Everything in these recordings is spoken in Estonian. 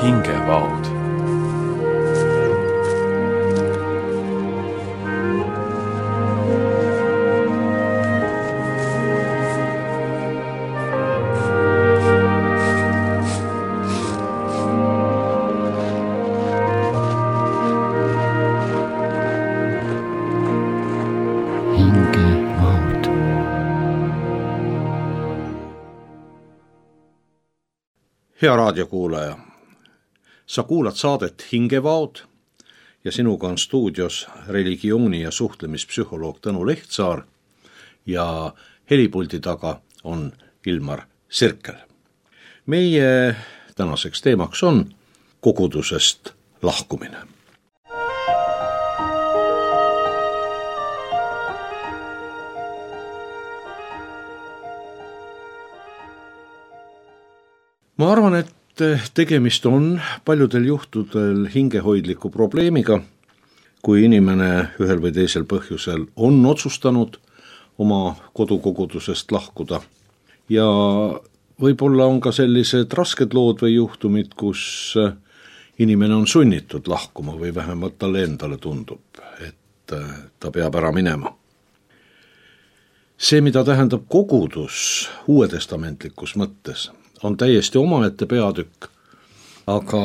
hingevaod. Hea raadiokuulaja, sa kuulad saadet Hingevaod ja sinuga on stuudios religiooni- ja suhtlemispsühholoog Tõnu Lehtsaar ja helipuldi taga on Ilmar Sirkel. Meie tänaseks teemaks on kogudusest lahkumine. Ma arvan, et tegemist on paljudel juhtudel hingehoidliku probleemiga, kui inimene ühel või teisel põhjusel on otsustanud oma kodukogudusest lahkuda. Ja võib-olla on ka sellised rasked lood või juhtumid, kus inimene on sunnitud lahkuma või vähemalt talle endale tundub, et ta peab ära minema. See, mida tähendab kogudus uuetestamentlikus mõttes, on täiesti omaette peatükk, aga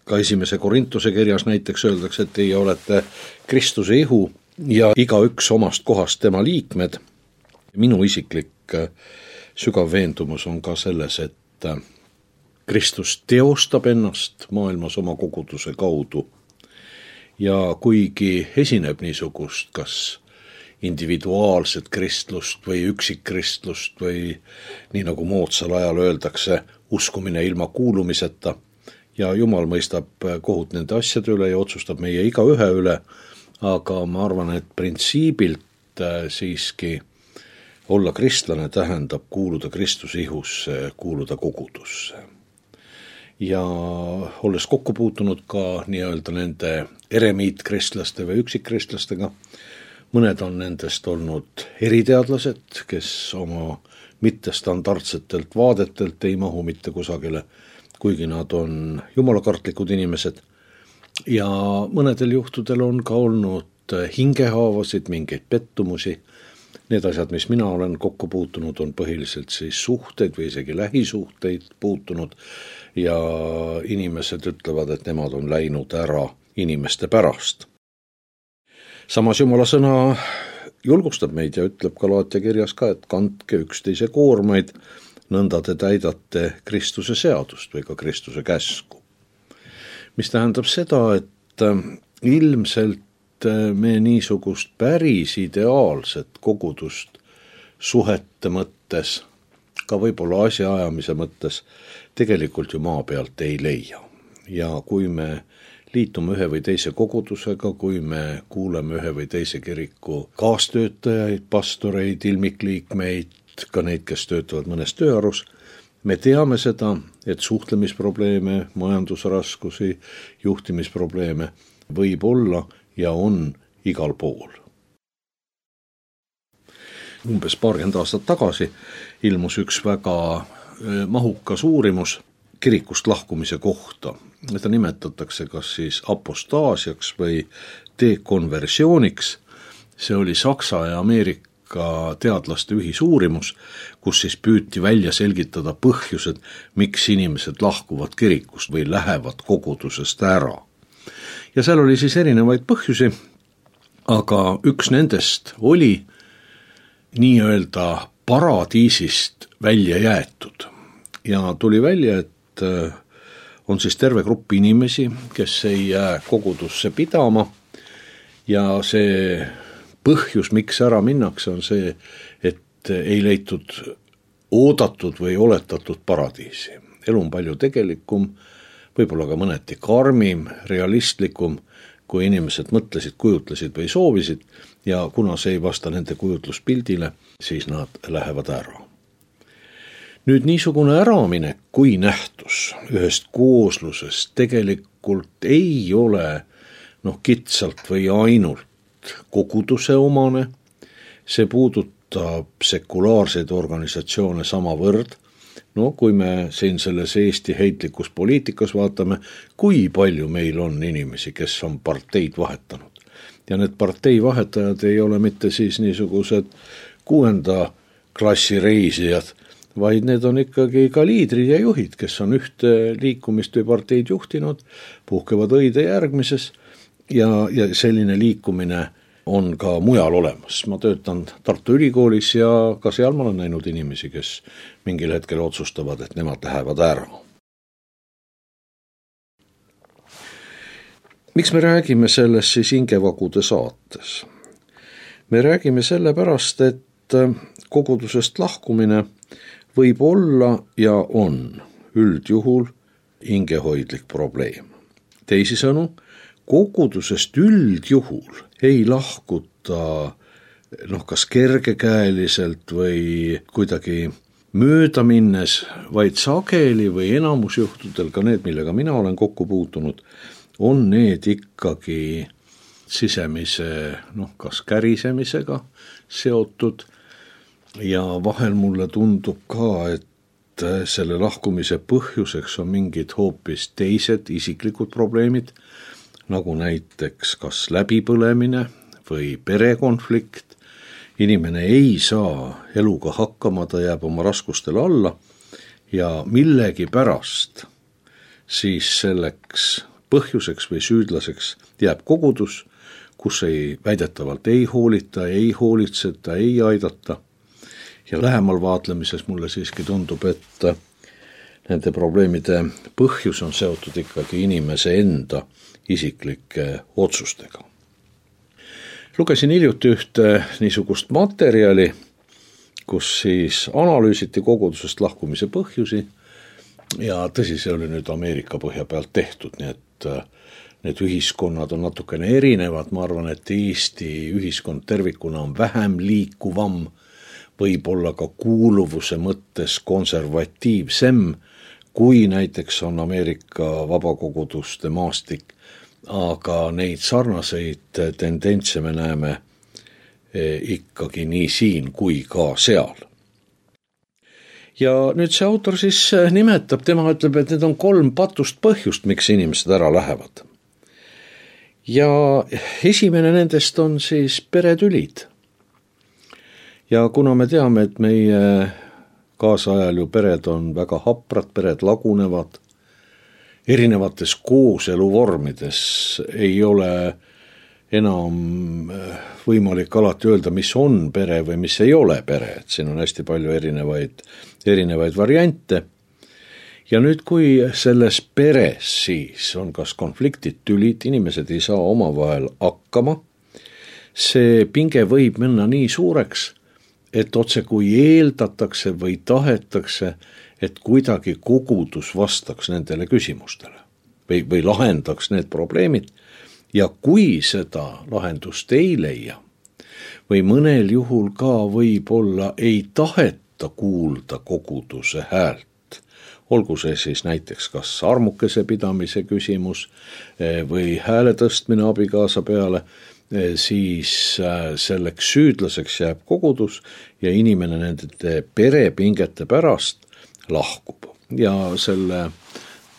ka 1. Korintuse kirjas näiteks öeldakse, et teie olete Kristuse ihu ja igaüks omast kohast tema liikmed. Minu isiklik sügav veendumus on ka selles, et Kristus teostab ennast maailmas oma koguduse kaudu ja kuigi esineb niisugust kas individuaalset kristlust või üksikkristlust või nii nagu moodsal ajal öeldakse, uskumine ilma kuulumiseta ja Jumal mõistab kohut nende asjade üle ja otsustab meie igaühe üle, aga ma arvan, et printsiibilt siiski olla kristlane tähendab kuuluda Kristuse ihusse, kuuluda kogudusse. Ja olles kokku puutunud ka nii-öelda nende eremiitkristlaste või üksikristlastega, mõned on nendest olnud eriteadlased, kes oma mittestandardsetelt vaadetelt ei mahu mitte kusagile, kuigi nad on jumalakartlikud inimesed. Ja mõnedel juhtudel on ka olnud hingehaavasid, mingeid pettumusi. Need asjad, mis mina olen kokku puutunud, on põhiliselt siis suhteid või isegi lähisuhteid puutunud ja inimesed ütlevad, et nemad on läinud ära inimeste pärast. Samas Jumala sõna julgustab meid ja ütleb Galaatia kirjas ka, et kandke üksteise koormaid, nõnda te täidate Kristuse seadust või ka Kristuse käsku. Mis tähendab seda, et ilmselt me niisugust päris ideaalset kogudust suhete mõttes, ka võib-olla asjaajamise mõttes, tegelikult ju maa pealt ei leia. Ja kui me liitume ühe või teise kogudusega, kui me kuuleme ühe või teise kiriku kaastöötajaid, pastoreid, ilmikliikmeid, ka neid, kes töötavad mõnes tööarus, me teame seda, et suhtlemisprobleeme, majandusraskusi, juhtimisprobleeme võib olla ja on igal pool. Umbes 20 aastat tagasi ilmus üks väga mahukas uurimus kirikust lahkumise kohta. Seda nimetatakse kas siis apostaasiaks või dekonversiooniks. See oli Saksa ja Ameerika teadlaste ühisuurimus, kus siis püüti välja selgitada põhjused, miks inimesed lahkuvad kirikust või lähevad kogudusest ära. Ja seal oli siis erinevaid põhjusi, aga üks nendest oli nii-öelda paradiisist välja jäetud. Ja tuli välja, et on siis terve grupp inimesi, kes ei jää kogudusse pidama ja see põhjus, miks ära minnakse, on see, et ei leitud oodatud või oletatud paradiisi. Elu on palju tegelikum, võib-olla ka mõneti karmim, realistlikum, kui inimesed mõtlesid, kujutlesid või soovisid ja kuna see ei vasta nende kujutluspildile, siis nad lähevad ära. Nüüd niisugune äraminek kui nähtus ühest kooslusest tegelikult ei ole kitsalt või ainult koguduse omane, see puudutab sekulaarseid organisatsioone samavõrd No kui me siin selles Eesti heitlikus poliitikas vaatame, kui palju meil on inimesi, kes on parteid vahetanud. Ja need partei vahetajad ei ole mitte siis niisugused 6. klassi reisijad, vaid need on ikkagi ka liidrid ja juhid, kes on ühte liikumist või parteid juhtinud, puhkevad õide järgmises ja selline liikumine on ka mujal olemas. Ma töötan Tartu Ülikoolis ja ka seal ma olen näinud inimesi, kes mingil hetkel otsustavad, et nemad lähevad ära. Miks me räägime sellest siis Hingevagude saates? Me räägime sellepärast, et kogudusest lahkumine võib olla ja on üldjuhul hingehoidlik probleem. Teisisõnu, kogudusest üldjuhul ei lahkuta kas kergekäeliselt või kuidagi mööda minnes, vaid sageli või enamusjuhtudel, ka need, millega mina olen kokku puutunud, on need ikkagi sisemise kas kärisemisega seotud ja vahel mulle tundub ka, et selle lahkumise põhjuseks on mingid hoopis teised isiklikud probleemid, nagu näiteks kas läbipõlemine või perekonflikt. Inimene ei saa eluga hakkama, ta jääb oma raskustele alla ja millegi pärast siis selleks põhjuseks või süüdlaseks jääb kogudus, kus väidetavalt ei hoolita, ei hoolitseta, ei aidata. Ja lähemal vaatlemises mulle siiski tundub, et nende probleemide põhjus on seotud ikkagi inimese enda isiklike otsustega. Lugesin hiljuti ühte niisugust materjali, kus siis analüüsiti kogudusest lahkumise põhjusi ja tõsi, see oli nüüd Ameerika põhja pealt tehtud, nii et need ühiskonnad on natukene erinevad. Ma arvan, et Eesti ühiskond tervikuna on vähem liikuvam, võib-olla ka kuuluvuse mõttes konservatiivsem, kui näiteks on Ameerika vabakoguduste maastik, aga neid sarnaseid tendentse me näeme ikkagi nii siin kui ka seal. Ja nüüd see autor siis nimetab, tema ütleb, et need on 3 patust põhjust, miks inimesed ära lähevad. Ja esimene nendest on siis peretülid. Ja kuna me teame, et meie kaasajal ju pered on väga haprad, pered lagunevad, erinevates kooseluvormides ei ole enam võimalik alati öelda, mis on pere või mis ei ole pere, et siin on hästi palju erinevaid variante. Ja nüüd, kui selles peres siis on kas konfliktid, tülid, inimesed ei saa omavahel hakkama, see pinge võib minna nii suureks, et otse kui eeldatakse või tahetakse, et kuidagi kogudus vastaks nendele küsimustele või lahendaks need probleemid. Ja kui seda lahendust ei leia või mõnel juhul ka võib-olla ei taheta kuulda koguduse häält, olgu see siis näiteks kas armukese pidamise küsimus või hääle tõstmine abikaasa peale, siis selleks süüdlaseks jääb kogudus ja inimene nende perepingete pärast lahkub. Ja selle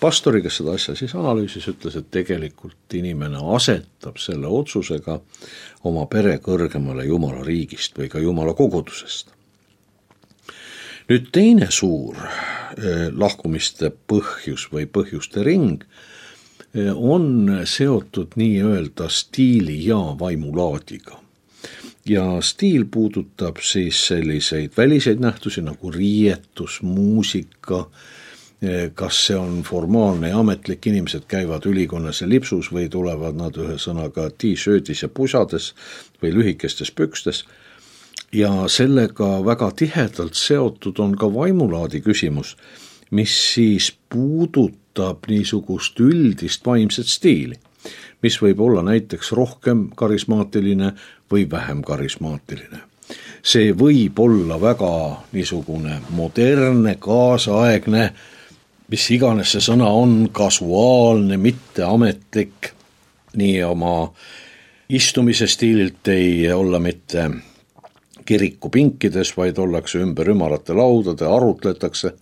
pastori, kes seda asja siis analüüsis, ütles, et tegelikult inimene asetab selle otsusega oma pere kõrgemale Jumala riigist või ka Jumala kogudusest. Nüüd teine suur lahkumiste põhjus või põhjuste ring on seotud nii-öelda stiili ja vaimulaadiga. Ja stiil puudutab siis selliseid väliseid nähtusi nagu riietus, muusika, kas see on formaalne ja ametlik, inimesed käivad ülikonnas ja lipsus või tulevad nad ühesõnaga t-shirtis ja pusades või lühikestes pükstes. Ja sellega väga tihedalt seotud on ka vaimulaadi küsimus, mis siis puudutab niisugust üldist vaimset stiili, mis võib olla näiteks rohkem karismaatiline või vähem karismaatiline. See võib olla väga niisugune modernne, kaasaegne, mis iganes see sõna on, kasuaalne, mitteametlik, nii oma istumise stiililt ei olla mitte kirikupinkides, vaid ollakse ümber ümarate laudade, arutletakse.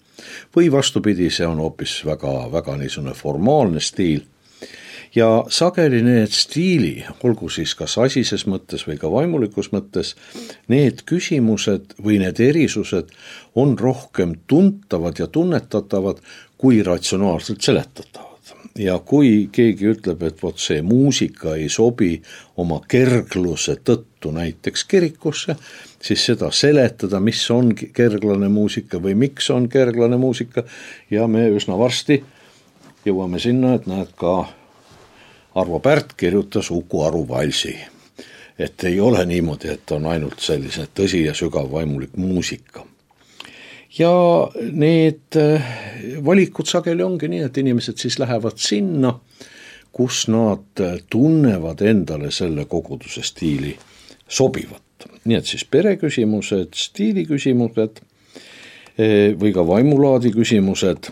või vastupidi, see on hoopis väga, väga niisugune formaalne stiil. Ja sageli need stiili, olgu siis kas asises mõttes või ka vaimulikus mõttes, need küsimused või need erisused on rohkem tuntavad ja tunnetatavad kui ratsionaalselt seletatavad. Ja kui keegi ütleb, et vot see muusika ei sobi oma kergluse tõttu näiteks kirikusse, siis seda seletada, mis on kerglane muusika või miks on kerglane muusika, ja me üsna varsti jõuame sinna, et näed ka Arvo Pärt kirjutas Uku Aru valsi. Et ei ole niimoodi, et on ainult sellise tõsi ja sügav vaimulik muusika. Ja need valikud sageli ongi nii, et inimesed siis lähevad sinna, kus nad tunnevad endale selle koguduse stiili sobivat. Nii et siis pereküsimused, stiiliküsimused või ka vaimulaadi küsimused.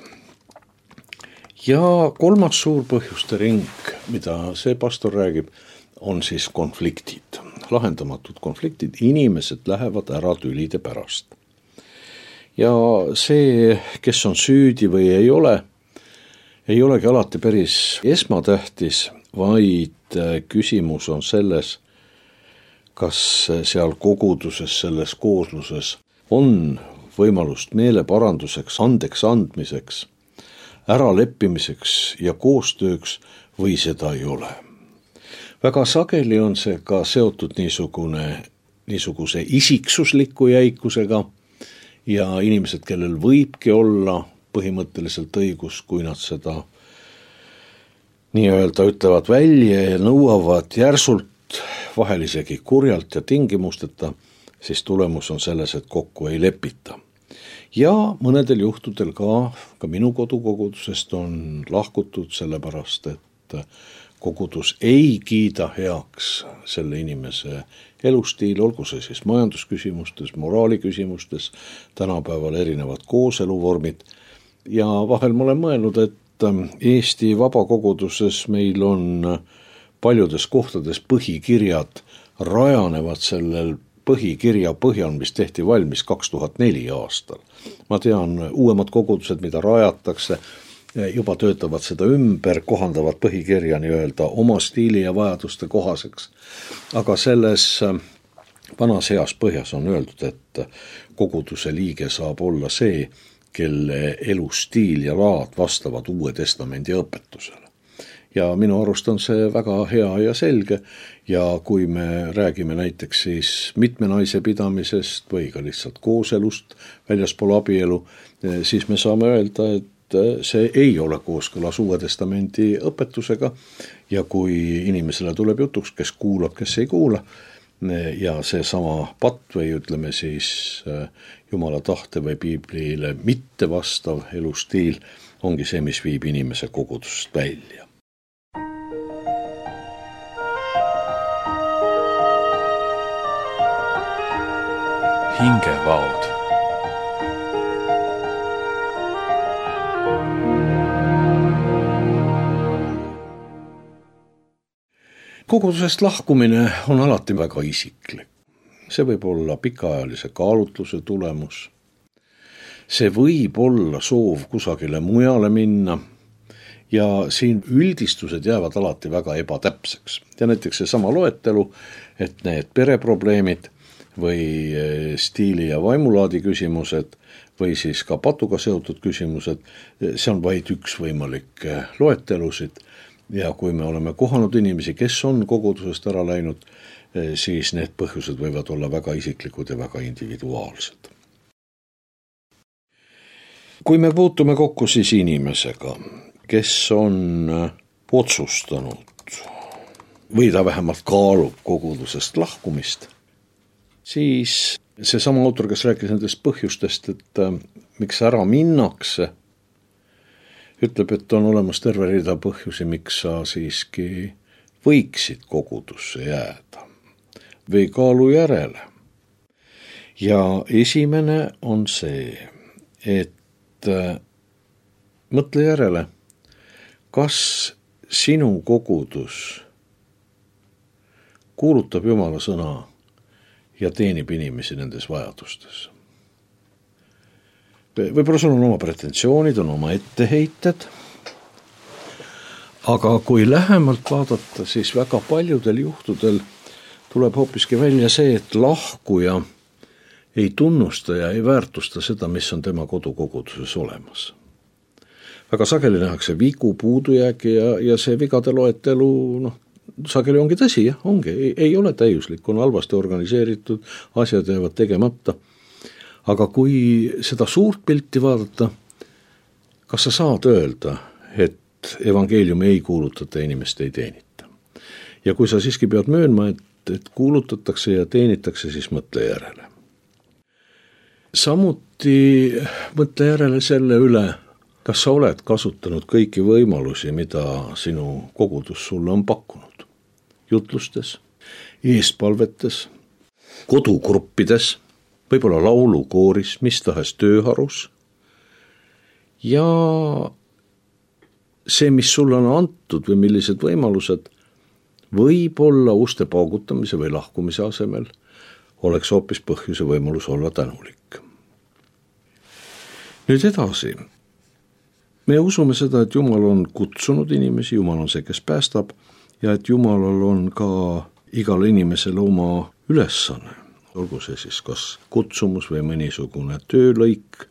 Ja kolmas suur põhjuste ring, mida see pastor räägib, on siis konfliktid, lahendamatud konfliktid, inimesed lähevad ära tülide pärast. Ja see, kes on süüdi või ei olegi alati päris esmatähtis, vaid küsimus on selles, kas seal koguduses, selles koosluses on võimalust meeleparanduseks, andeks andmiseks, äraleppimiseks ja koostööks või seda ei ole. Väga sageli on see ka seotud niisuguse isiksusliku jäikusega ja inimesed, kellel võibki olla põhimõtteliselt õigus, kui nad seda nii-öelda ütlevad välja ja nõuavad järsult, vahel isegi kurjalt ja tingimusteta, siis tulemus on selles, et kokku ei lepita. Ja mõnedel juhtudel ka minu kodukogudusest on lahkutud sellepärast, et kogudus ei kiida heaks selle inimese elustiil, olgu see siis majandusküsimustes, moraaliküsimustes, tänapäeval erinevad kooseluvormid. Ja vahel ma olen mõelnud, et Eesti vabakoguduses meil on paljudes kohtades põhikirjad rajanevad sellel põhikirja põhjal, mis tehti valmis 2004 aastal. Ma tean, uuemad kogudused, mida rajatakse, juba töötavad seda ümber, kohandavad põhikirja nii-öelda oma stiili ja vajaduste kohaseks. Aga selles vanas heas põhjas on öeldud, et koguduse liige saab olla see, kelle elustiil ja laad vastavad Uue Testamendi õpetusele. Ja minu arust on see väga hea ja selge, ja kui me räägime näiteks siis mitme naise pidamisest või ka lihtsalt kooselust väljaspool abielu, siis me saame öelda, et see ei ole kooskõlas Uue Testamendi õpetusega, ja kui inimesele tuleb jutuks, kes kuulab, kes ei kuula, ja see sama patt või ütleme siis Jumala tahte või Piiblile mitte vastav elustiil ongi see, mis viib inimese kogudusest välja. Hingevaod. Kogudusest lahkumine on alati väga isiklik. See võib olla pikaajalise kaalutluse tulemus. See võib olla soov kusagile mujale minna, ja siin üldistused jäävad alati väga ebatäpseks. Ja näiteks see sama loetelu, et need pereprobleemid või stiili ja vaimulaadi küsimused või siis ka patuga seotud küsimused, see on vaid üks võimalik loetelusid, ja kui me oleme kohanud inimesi, kes on kogudusest ära läinud, siis need põhjused võivad olla väga isiklikud ja väga individuaalsed. Kui me puutume kokku siis inimesega, kes on otsustanud või ta vähemalt kaalub kogudusest lahkumist, siis see sama autor, kes rääkis nendest põhjustest, et miks ära minnakse, ütleb, et on olemas terve rida põhjusi, miks sa siiski võiksid kogudusse jääda või kaalu järele. Ja esimene on see, et mõtle järele, kas sinu kogudus kuulutab Jumala sõna ja teenib inimesi nendes vajadustes. võib-olla sul on oma pretensioonid, on oma etteheited, aga kui lähemalt vaadata, siis väga paljudel juhtudel tuleb hoopiski välja see, et lahkuja ei tunnusta ja ei väärtusta seda, mis on tema kodukoguduses olemas. Väga sageli nähakse vigu, puudujäägi ja see vigade loetelu, sageli ongi tõsi, jah, ongi, ei ole täiuslik, on halvasti organiseeritud, asjad jäävad tegemata. Aga kui seda suurt pilti vaadata, kas sa saad öelda, et evangeeliumi ei kuulutata, inimest ei teenita? Ja kui sa siiski pead möönma, et kuulutatakse ja teenitakse, siis mõtle järele. Samuti mõtle järele selle üle, kas sa oled kasutanud kõiki võimalusi, mida sinu kogudus sulle on pakkunud. Jutlustes, eespalvetes, kodugruppides, võib-olla laulukooris, mis tahes tööharus. Ja see, mis sulle on antud või millised võimalused, võib-olla uste paugutamise või lahkumise asemel oleks hoopis põhjuse võimalus olla tänulik. Nüüd edasi. Me usume seda, et Jumal on kutsunud inimesi, Jumal on see, kes päästab, ja et Jumalal on ka igal inimesel oma ülesanne, olgu see siis kas kutsumus või mõnisugune töölõik.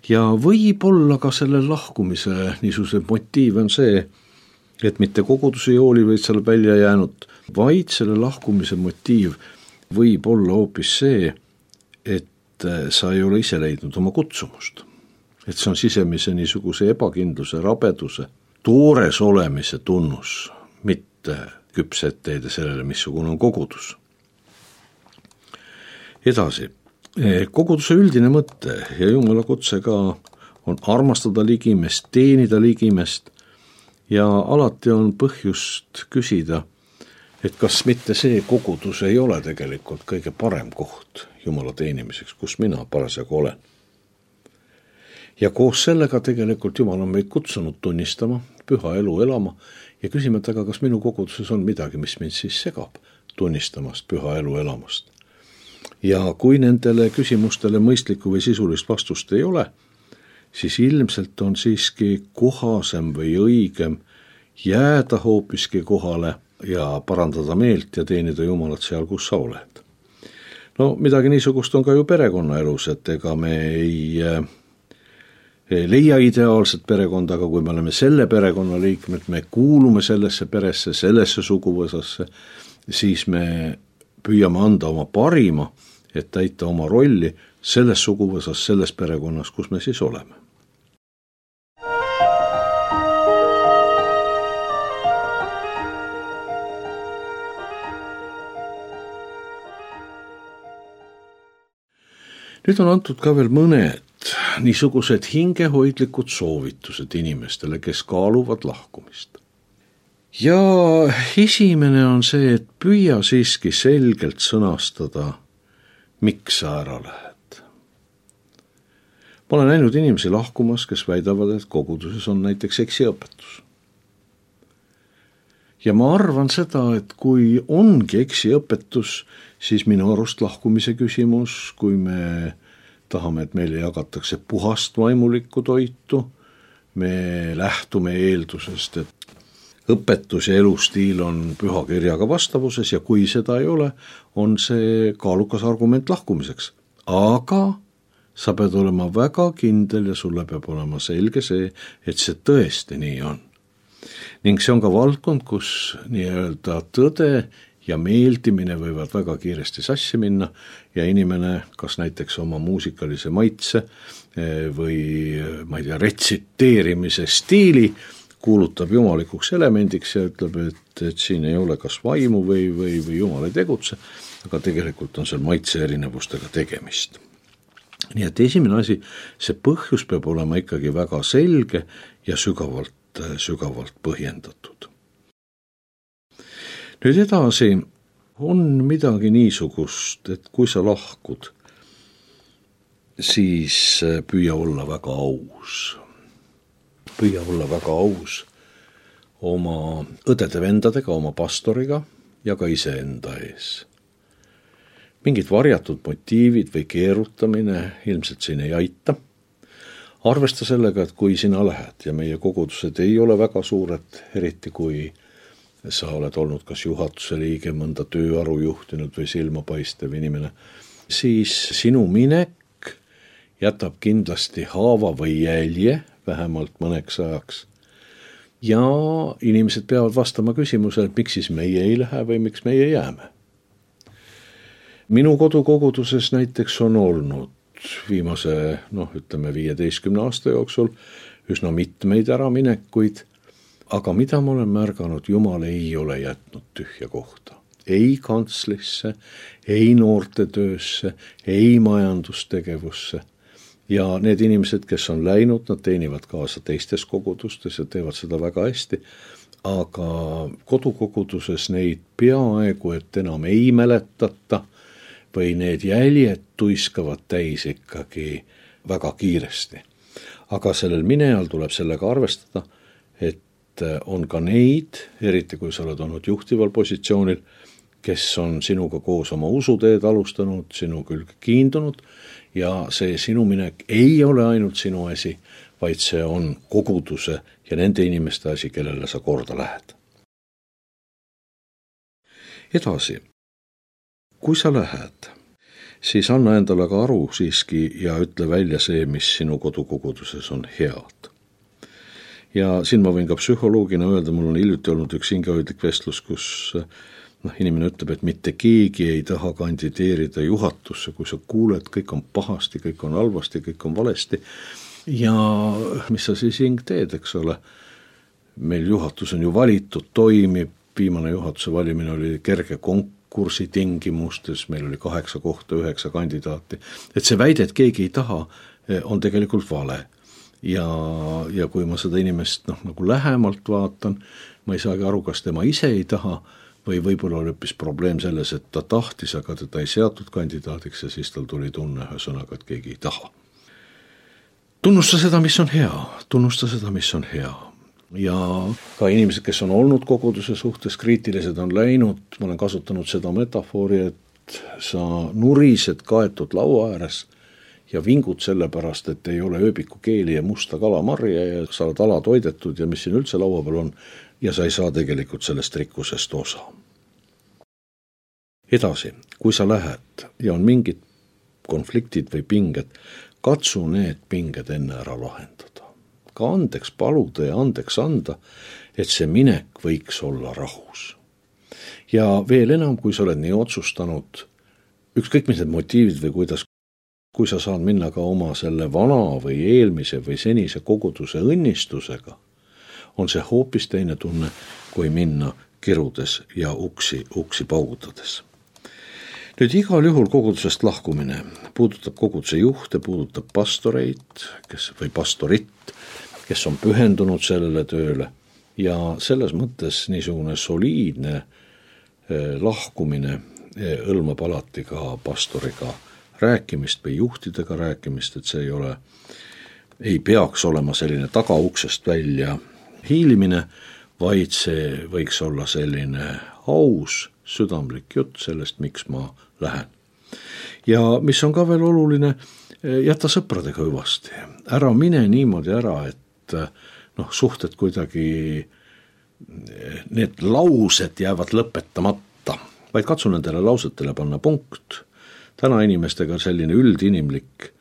Ja võib-olla ka selle lahkumise niisuguse motiiv on see, et mitte koguduse jooli võid seal välja jäänud, vaid selle lahkumise motiiv võib olla hoopis see, et sa ei ole ise leidnud oma kutsumust. Et see on sisemise niisuguse ebakindluse, rabeduse, toores olemise tunnus, mitte küps etteheide sellele, missugune on kogudus. Edasi, koguduse üldine mõte ja Jumala kutse ka on armastada ligimest, teenida ligimest ja alati on põhjust küsida, et kas mitte see kogudus ei ole tegelikult kõige parem koht Jumala teenimiseks, kus mina parasjagu olen. Ja koos sellega tegelikult Jumal on meid kutsunud tunnistama, püha elu elama ja küsima, et aga kas minu koguduses on midagi, mis mind siis segab tunnistamast püha elu elamast. Ja kui nendele küsimustele mõistlikku või sisulist vastust ei ole, siis ilmselt on siiski kohasem või õigem jääda hoopiski kohale ja parandada meelt ja teenida Jumalat seal, kus sa oled. No midagi niisugust on ka ju perekonnaelus, et ega me ei leia ideaalset perekonda, aga kui me oleme selle perekonna liikmed, me kuulume sellesse peresse, sellesse suguvõsasse, siis me püüame anda oma parima, et täita oma rolli selles suguvõsas, selles perekonnas, kus me siis oleme. Nüüd on antud ka veel mõned niisugused hingehoidlikud soovitused inimestele, kes kaaluvad lahkumist. Ja esimene on see, et püüa siiski selgelt sõnastada, miks sa ära lähed. Ma olen näinud inimesi lahkumas, kes väidavad, et koguduses on näiteks eksiõpetus. Ja ma arvan seda, et kui ongi eksiõpetus, siis minu arust lahkumise küsimus, kui me tahame, et meile jagatakse puhast vaimulikku toitu, me lähtume eeldusest, et õpetus ja elustiil on pühakirjaga vastavuses ja kui seda ei ole, on see kaalukas argument lahkumiseks. Aga sa pead olema väga kindel ja sulle peab olema selge see, et see tõesti nii on. Ning see on ka valdkond, kus nii-öelda tõde ja meeldimine võivad väga kiiresti sassi minna ja inimene, kas näiteks oma muusikalise maitse või ma ei tea, retsiteerimise stiili kuulutab jumalikuks elemendiks ja ütleb, et siin ei ole kas vaimu või Jumal ei tegutse, aga tegelikult on seal maitse erinevustega tegemist. Nii et esimene asi, see põhjus peab olema ikkagi väga selge ja sügavalt põhjendatud. Nüüd edasi on midagi niisugust, et kui sa lahkud, siis püüa olla väga aus. Püüa olla väga aus oma õdede-vendadega, oma pastoriga ja ka iseenda ees. Mingid varjatud motiivid või keerutamine ilmselt siin ei aita. arvesta sellega, et kui sina lähed ja meie kogudused ei ole väga suured, eriti kui sa oled olnud kas juhatuse liige, mõnda tööaru juhtinud või silmapaistev inimene, siis sinu minek jätab kindlasti haava või jälje, vähemalt mõneks ajaks. Ja inimesed peavad vastama küsimusele, et miks siis meie ei lähe või miks meie jääme. Minu kodukoguduses näiteks on olnud viimase, 15 aasta jooksul üsna mitmeid äraminekuid, aga mida ma olen märganud, Jumal ei ole jätnud tühja kohta. Ei kantslisse, ei noortetöösse, ei majandustegevusse. Ja need inimesed, kes on läinud, nad teenivad kaasa teistes kogudustes ja teevad seda väga hästi, aga kodukoguduses neid peaaegu, et enam ei mäletata või need jäljed tuiskavad täis ikkagi väga kiiresti. Aga sellel minejal tuleb sellega arvestada, et on ka neid, eriti kui sa oled olnud juhtival positsioonil, kes on sinuga koos oma usuteed alustanud, sinu külge kiindunud ja see sinu minek ei ole ainult sinu asi, vaid see on koguduse ja nende inimeste asi, kellele sa korda lähed. Edasi, kui sa lähed, siis anna endale ka aru siiski ja ütle välja see, mis sinu kodukoguduses on head. Ja siin ma võin ka psühholoogina öelda, mul on hiljuti olnud üks hingehoidlik vestlus, kus inimene ütleb, et mitte keegi ei taha kandideerida juhatusse, kui sa kuuled, kõik on pahasti, kõik on halvasti, kõik on valesti. Ja mis sa siis hing teed, eks ole? Meil juhatus on ju valitud, toimib, viimane juhatuse valimine oli kerge konkursi tingimustes, meil oli 8 kohta, 9 kandidaati. Et see väide, et keegi ei taha, on tegelikult vale. Ja kui ma seda inimest nagu lähemalt vaatan, ma ei saagi aru, kas tema ise ei taha või võib-olla oli hoopis probleem selles, et ta tahtis, aga teda ei seatud kandidaadiks ja siis tal tuli tunne ühesõnaga, et keegi ei taha. Tunnusta seda, mis on hea, tunnusta seda, mis on hea. Ja ka inimesed, kes on olnud koguduse suhtes kriitilised, on läinud, ma olen kasutanud seda metafoori, et sa nurised kaetud laua ääres ja vingud sellepärast, et ei ole ööbiku keeli ja musta kalamarja ja sa oled alatoidetud ja mis siin üldse laua peal on ja sa ei saa tegelikult sellest rikkusest osa. Edasi, kui sa lähed ja on mingid konfliktid või pinged, katsu need pinged enne ära lahendada. Ka andeks paluda ja andeks anda, et see minek võiks olla rahus. Ja veel enam, kui sa oled nii otsustanud, ükskõik mis need motiivid või kuidas, kui sa saad minna ka oma selle vana või eelmise või senise koguduse õnnistusega, on see hoopis teine tunne, kui minna kirudes ja uksi paugutades. Nüüd igal juhul kogudusest lahkumine puudutab koguduse juhte, puudutab pastoreid, või pastorit, kes on pühendunud sellele tööle ja selles mõttes niisugune soliidne lahkumine hõlmab alati ka pastoriga rääkimist või juhtidega rääkimist, et see ei peaks olema selline tagauksest välja hiilimine, vaid see võiks olla selline aus, südamlik jutt sellest, miks ma lähen. Ja mis on ka veel oluline, jäta sõpradega hüvasti. Ära mine niimoodi ära, et suhted kuidagi, need laused jäävad lõpetamata, vaid katsu nendele lausetele panna punkt. Täna inimestega selline üldinimlik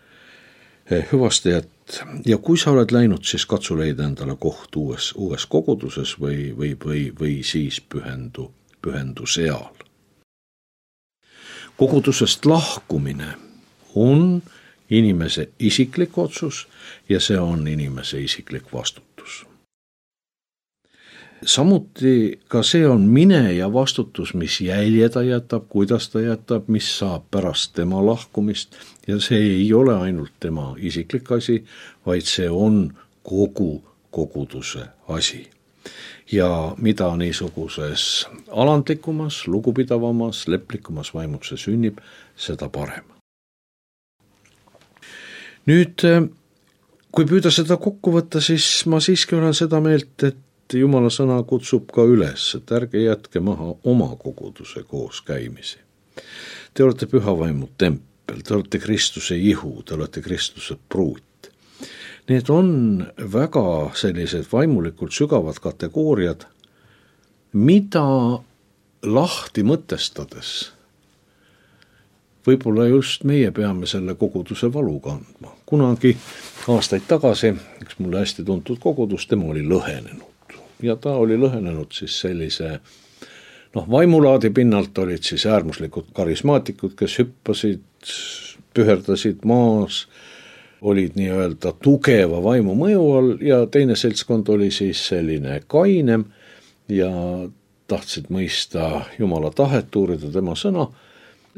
hüvastajat ja kui sa oled läinud, siis katsu leida endale koht uues koguduses või siis pühendu seal. Kogudusest lahkumine on inimese isiklik otsus ja see on inimese isiklik vastutus. Samuti ka see on mine ja vastutus, mis jälje ta jätab, kuidas ta jätab, mis saab pärast tema lahkumist ja see ei ole ainult tema isiklik asi, vaid see on kogu koguduse asi. Ja mida niisuguses alandlikumas, lugupidavamas, leplikumas vaimus see sünnib, seda parem. Nüüd, kui püüda seda kokku võtta, siis ma siiski olen seda meelt, et Jumala sõna kutsub ka üles, et ärge jätke maha oma koguduse koos käimisi. Te olete püha vaimu tempel, te olete Kristuse ihu, te olete Kristuse pruut. Need on väga sellised vaimulikult sügavad kategooriad, mida lahti mõtestades võib-olla just meie peame selle koguduse valu kandma. Kunagi aastaid tagasi üks mulle hästi tuntud kogudus, tema oli lõhenenud. Ja ta oli lõhenenud siis sellise, vaimulaadi pinnalt olid siis äärmuslikud karismaatikud, kes hüppasid, püherdasid maas, olid nii-öelda tugeva vaimu mõju all ja teine seltskond oli siis selline kainem ja tahtsid mõista Jumala tahet, uurida tema sõna.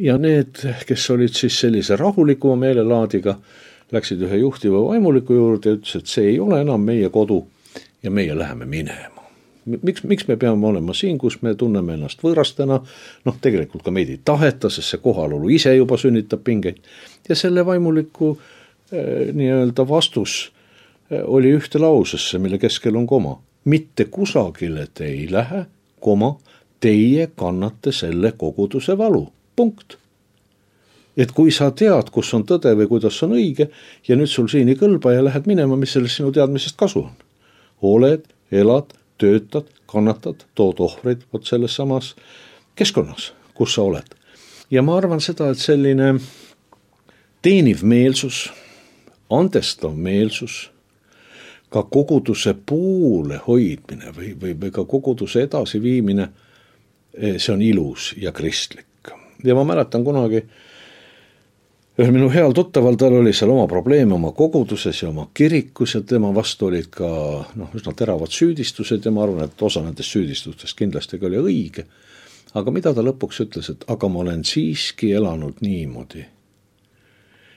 Ja need, kes olid siis sellise rahulikuma meelelaadiga, läksid ühe juhtiva vaimuliku juurde ja ütles, et see ei ole enam meie kodu ja meie läheme minema. Miks me peame olema siin, kus me tunneme ennast võõrastena, tegelikult ka meid ei taheta, sest see kohalolu ise juba sünnitab pingeid. Ja selle vaimuliku nii-öelda vastus oli ühte lausesse, mille keskel on koma. Mitte kusagile te ei lähe, koma, teie kannate selle koguduse valu. Punkt. Et kui sa tead, kus on tõde või kuidas on õige ja nüüd sul siin ei kõlba ja lähed minema, mis sellest sinu teadmisest kasu on? Oled, elad, töötad, kannatad, tood ohvreid selles samas keskkonnas, kus sa oled. Ja ma arvan seda, et selline teeniv meelsus, andestav meelsus, ka koguduse poole hoidmine või ka koguduse edasiviimine, see on ilus ja kristlik. Ja ma mäletan kunagi ühel minu heal tuttaval, tal oli seal oma probleeme oma koguduses ja oma kirikus ja tema vastu olid ka üsna teravad süüdistused ja ma arvan, et osa nendest süüdistustest kindlasti ka oli õige. Aga mida ta lõpuks ütles, et aga ma olen siiski elanud niimoodi,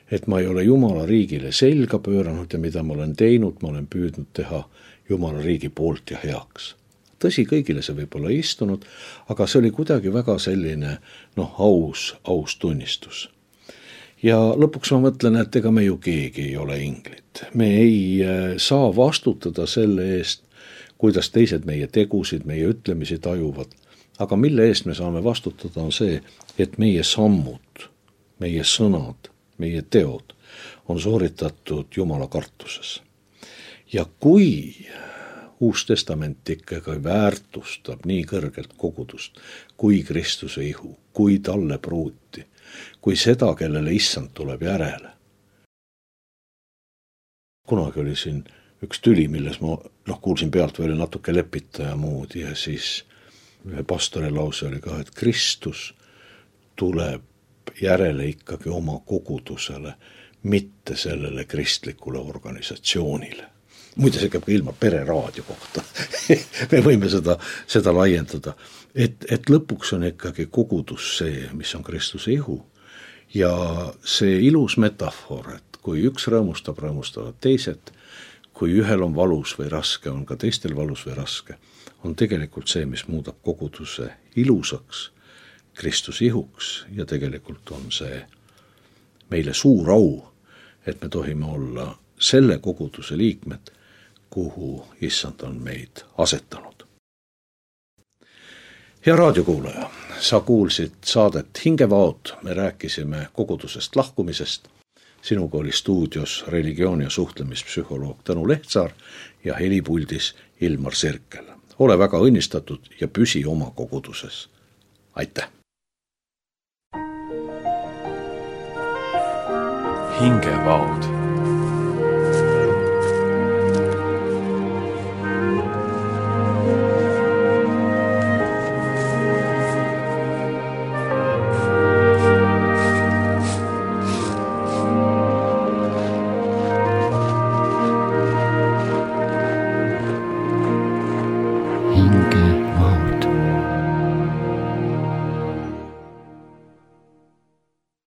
et ma ei ole Jumala riigile selga pööranud ja mida ma olen teinud, ma olen püüdnud teha Jumala riigi poolt ja heaks. Tõsi, kõigile see võib-olla istunud, aga see oli kuidagi väga selline aus tunnistus. Ja lõpuks ma mõtlen, et ega me ju keegi ei ole inglid. Me ei saa vastutada selle eest, kuidas teised meie tegusid, meie ütlemisi tajuvad. Aga mille eest me saame vastutada on see, et meie sammud, meie sõnad, meie teod on sooritatud Jumala kartuses. Ja kui Uus Testament ikkagi väärtustab nii kõrgelt kogudust, kui Kristuse ihu, kui talle pruuti, kui seda, kellele issand tuleb järele. Kunagi oli siin üks tüli, milles ma kuulsin pealt veel natuke lepitaja muud ja siis ühe pastori lause oli ka, et Kristus tuleb järele ikkagi oma kogudusele, mitte sellele kristlikule organisatsioonile. Muide, see käib ka ilma pereraadio kohta. Me võime seda laiendada. Et lõpuks on ikkagi kogudus see, mis on Kristuse ihu. Ja see ilus metafoor, et kui üks rõõmustavad teised, kui ühel on valus või raske, on ka teistel valus või raske, on tegelikult see, mis muudab koguduse ilusaks, Kristuse ihuks ja tegelikult on see meile suur au, et me tohime olla selle koguduse liikmed, kuhu issand on meid asetanud. Hea raadiokuulaja, sa kuulsid saadet Hingevaod, me rääkisime kogudusest lahkumisest. Sinuga oli stuudios religioon- ja suhtlemispsühholoog Tõnu Lehtsaar ja helipuldis Ilmar Sirkel. Ole väga õnnistatud ja püsi oma koguduses. Aitäh! Hingevaod. Hingevaod.